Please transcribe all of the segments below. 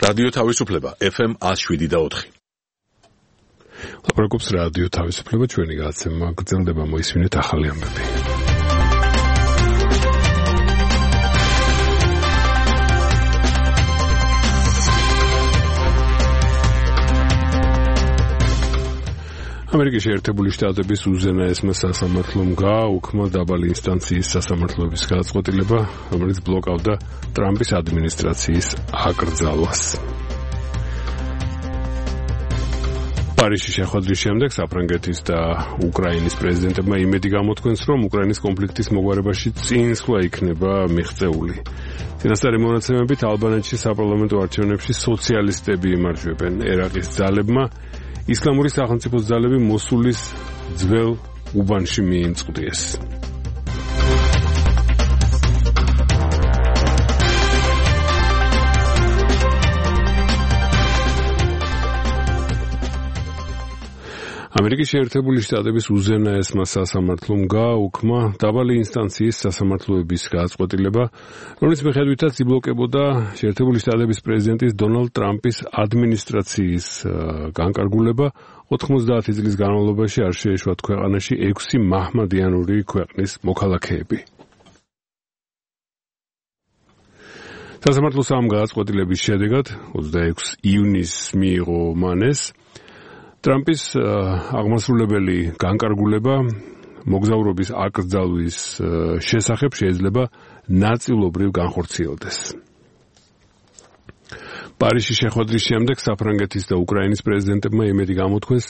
რადიო თავისუფლება FM 107.4. ლაპარაკობს რადიო თავისუფლება, ჩვენი გადაცემა გრძელდება, მოისმინეთ ახალი ამბები. ამერიკის შეერთებული შტატების უზენაესმა სასამართლომ გააუქმა დაბალი ინსტანციის სასამართლოების გადაწყვეტილება, რომელიც ბლოკავდა ტრამპის ადმინისტრაციის აკრძალვას. პარიზში შეხვედრის შემდეგ საფრანგეთის და უკრაინის პრეზიდენტებმა იმედი გამოთქვენს, რომ უკრაინის კონფლიქტის მოგვარებაში წინსვლა იქნება მიღწეული. წინასწარი მონაცემებით ალბანეთში საპარლამენტო არჩევნებში სოციალისტები იმარჯვებენ. ერაყის ძალებმა ისლამური სახელმწიფოს ძალები მოსულის ძველ უბანში მიიმწყდიეს. ამერიკის შეერთებული შტატების უზენაესმა სასამართლომ გააუქმა დაბალი ინსტანციის სასამართლოების გადაწყვეტილება, რომლის მიხედვითაც იბლოკებოდა შეერთებული შტატების პრეზიდენტის დონალდ ტრამპის ადმინისტრაციის განკარგულება 90 წლის განმავლობაში არ შეეშვათ ქვეყანაში 6 მაჰმადიანური ქვეყნის მოქალაქეები. სასამართლოს ამ გადაწყვეტილების შედეგად 26 ივნისს მიიღო მანეს ტრამპის აღმასრულებელი განკარგულება მოგზაურობის აკრძალვის შესახებ შეიძლება ნაწილობრივ განხორციელდეს. პარიზში შეხვედრის შემდეგ საფრანგეთის და უკრაინის პრეზიდენტებმა იმედი გამოთქვენს,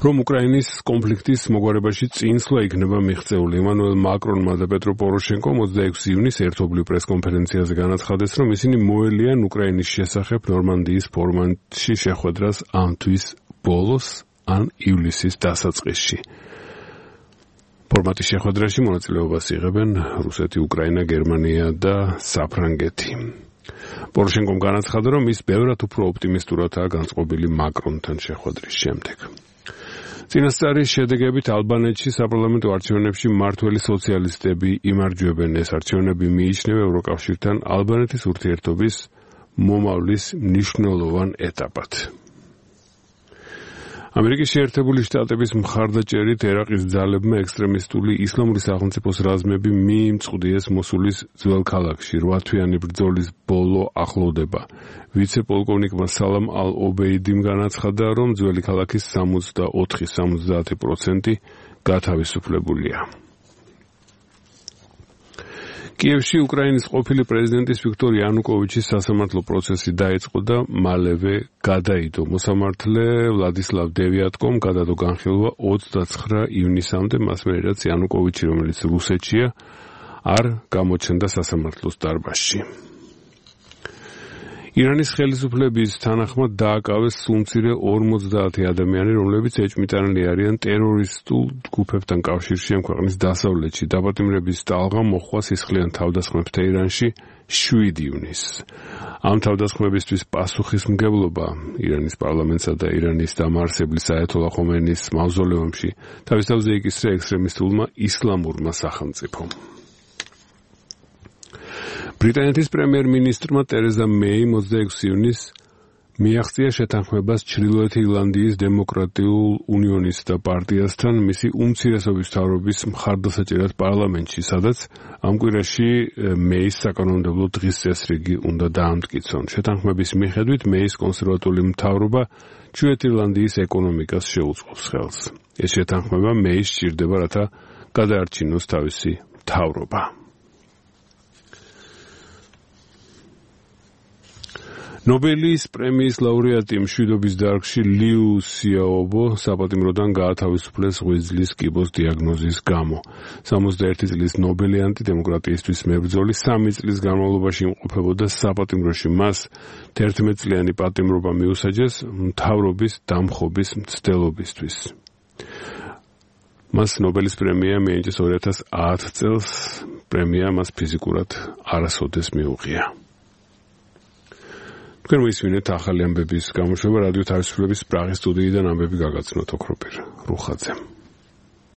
რომ უკრაინის კონფლიქტის მოგვარებაში წინსვლა იქნება მიღწეული. ემანუელ მაკრონმა და პეტრო პოროშენკომ 26 ივნისს ერთობლივ პრესკონფერენციაზე განაცხადეს, რომ ისინი მოელიან უკრაინის შესახებ ნორმანდიის ფორმატში შეხვედრას ამ თვის ბოლოს ან ივლისის დასაწყისში. ფორმატის შეხვედრაში მონაწილეობას იღებენ რუსეთი, უკრაინა, გერმანია და საფრანგეთი. პოროშენკომ განაცხადა, რომ ის ბევრად უფრო ოპტიმისტურადაა განწყობილი მაკრონთან შეხვედრის შემდეგ. წინასწარი შედეგებით ალბანეთში საპარლამენტო არჩევნებში მმართველი სოციალისტები იმარჯვებენ. ეს არჩევნები მიიჩნევა ევროკავშირთან ალბანეთის ურთიერთობის მომავლის მნიშვნელოვან ეტაპად. ამერიკის შეერთებული შტატების მხარდაჭერით ერაყის ძალებმა ექსტრემისტული ისლამური სახელმწიფოს რაზმები მიიმწყდიეს მოსულის ძველ ქალაქში. 8 თვიანი ბრძოლის ბოლო ახლოვდება. ვიცე-პოლკოვნიკმა სალამ ალ-ობეიდიმ განაცხადა, რომ ძველი ქალაქის 64-70% გათავისუფლებულია. კიევში უკრაინის ყოფილი პრეზიდენტის ვიქტორ იანუკოვიჩის სასამართლო პროცესი დაიწყო და მალევე გადაიდო. მოსამართლე ვლადისლავ დევიატკომ გადადო განხილვა 29 ივნისამდე, მას მერე რაც იანუკოვიჩი, რომელიც რუსეთშია, არ გამოჩნდა სასამართლოს დარბაზში. ირანის ხელისუფლების თანახმად დააკავეს სულმცირე 50 ადამიანი, რომლებიც ეჭვმიტანილი არიან ტერორისტულ ჯგუფებთან კავშირში ამ ქვეყნის დასავლეთში. დაპატიმრების ტალღა მოჰყვა სისხლიან თავდასხმებთან ირანში 7 ივნისს. ამ თავდასხმებისთვის პასუხისმგებლობა ირანის პარლამენტსა და ირანის დამაარსებლის აიათოლა ხომეინის მავზოლეუმში თავის თავზე იკისრა ექსტრემისტულმა ისლამურმა სახელმწიფომ. ბრიტანეთის პრემიერ-მინისტრმა ტერეზა მეიმ 26 ივნისს მიაღწია შეთანხმებას ჩრდილოეთ ირლანდიის დემოკრატიულ უნიონისტთა პარტიასთან მისი უმცირესობის მთავრობის მხარდასაჭერად პარლამენტში, სადაც ამ კვირაში მეის საკანონმდებლო დღის წესრიგი უნდა დაამტკიცონ. შეთანხმების მიხედვით მეის კონსერვატული მთავრობა ჩრდილოეთ ირლანდიის ეკონომიკას შეუწყობს ხელს. ეს შეთანხმება მეის სჭირდება, რათა გადაარჩინოს თავისი მთავრობა. ნობელის პრემიის ლაურეატი მშვიდობის დარგში liu xiaobo საპატიმროდან გაათავისუფლეს ღვიძლის კიბოს დიაგნოზის გამო. 61 წლის ნობელიანტი დემოკრატიისთვის მებრძოლი 3 წლის განმავლობაში იმყოფებოდა საპატიმროში. მას 11 წლიანი პატიმრობა მიუსაჯეს მთავრობის დამხობის მცდელობისთვის. მას ნობელის პრემია მიენიჭეს 2010 წელს. პრემია მას ფიზიკურად არასოდეს მიუღია. თქვენ მოისმინეთ ახალი ამბების გამოშვება რადიო თავისუფლების პრაღის სტუდიიდან ამბები გაგაცნოთ ოქროპირ რუხაძემ.